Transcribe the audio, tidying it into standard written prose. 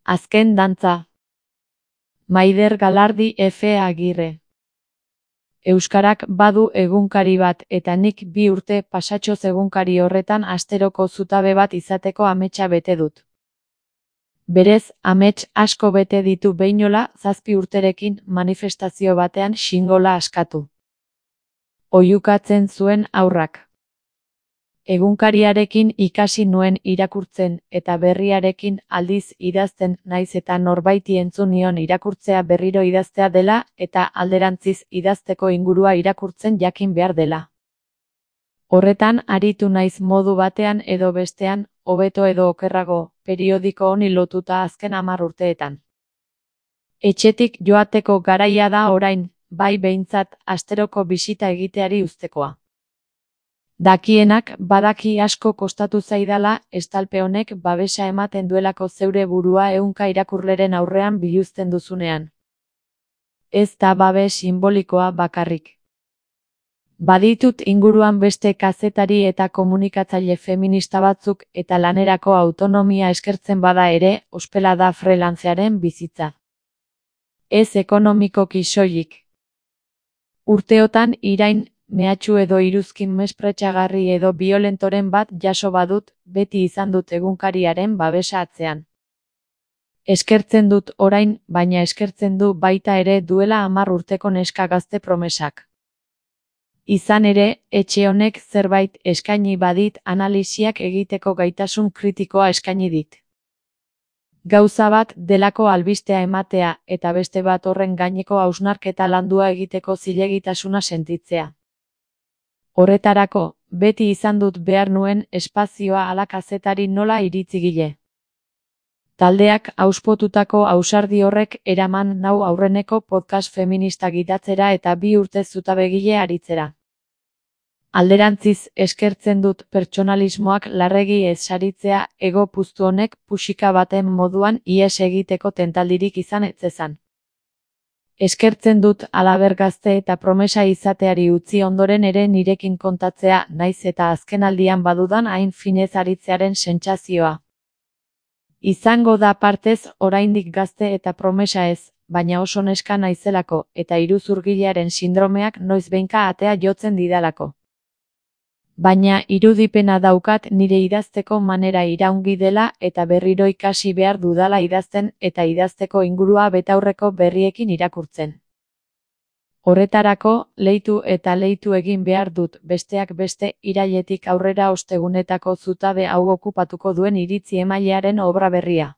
Azken dantza. Maider Galardi F. Agirre. Euskarak badu egunkari bat eta nik 2 urte pasatxoz egunkari horretan asteroko zutabe bat izateko ametsa bete dut. Berez, amets asko bete ditu beinola 7 urterekin manifestazio batean xingola askatu. Oihukatzen zuen haurrak. Egunkariarekin ikasi nuen irakurtzen eta berriarekin aldiz idazten naiz eta norbaiti entzun nion irakurtzea berriro idaztea dela eta alderantziz idazteko ingurua irakurtzen jakin behar dela. Horretan aritu naiz modu batean edo bestean, hobeto edo okerrago, periodiko honi lotuta azken 10 urteetan. Etxetik joateko garaia da orain, bai behintzat asteroko bisita egiteari uztekoa. Dakienak badaki asko kostatu zaidala estalpe honek babesa ematen duelako zeure burua ehunka irakurleren aurrean biluzten duzunean. Ez da babes sinbolikoa bakarrik. Baditut inguruan beste kazetari eta komunikatzaile feminista batzuk eta lanerako autonomia eskertzen bada ere, ospela da freelancearen bizitza. Ez ekonomikoki soilik. Urteotan irain, mehatxu edo iruzkin mespretxagarri edo biolentoren bat jaso badut, beti izan dut egunkariaren babesa atzean. Eskertzen dut orain, baina eskertzen du baita ere duela 10 urteko neska gazte promesak. Izan ere, etxe honek zerbait eskaini badit analisiak egiteko gaitasun kritikoa eskaini dit. Gauza bat delako albistea ematea eta beste bat horren gaineko hausnarketa landua egiteko zilegitasuna sentitzea. Horretarako, beti izan dut behar nuen espazioa ala kazetari nola iritzigile. Taldeak auspotutako ausardi horrek eraman nau aurreneko podcast feminista gidatzera eta 2 urte zutabegile aritzera. Alderantziz eskertzen dut pertsonalismoak larregi ez saritzea ego puztu honek puxika baten moduan ihes egiteko tentaldirik izan etzezan. Eskertzen dut halaber gazte eta promesa izateari utzi ondoren ere nirekin kontatzea naiz eta azkenaldian badudan hain finez aritzearen sentsazioa. Izango da partez oraindik gazte eta promesa ez, baina oso neska naizelako eta iruzurgilearen sindromeak noizbehinka atea jotzen didalako. Baina irudipena daukat nire idazteko manera iraungi dela eta berriro ikasi behar dudala idazten eta idazteko ingurua betaurreko berriekin irakurtzen. Horretarako, leitu eta leitu egin behar dut besteak beste irailetik aurrera ostegunetako zutabe hau okupatuko duen iritzi emailearen obra berria.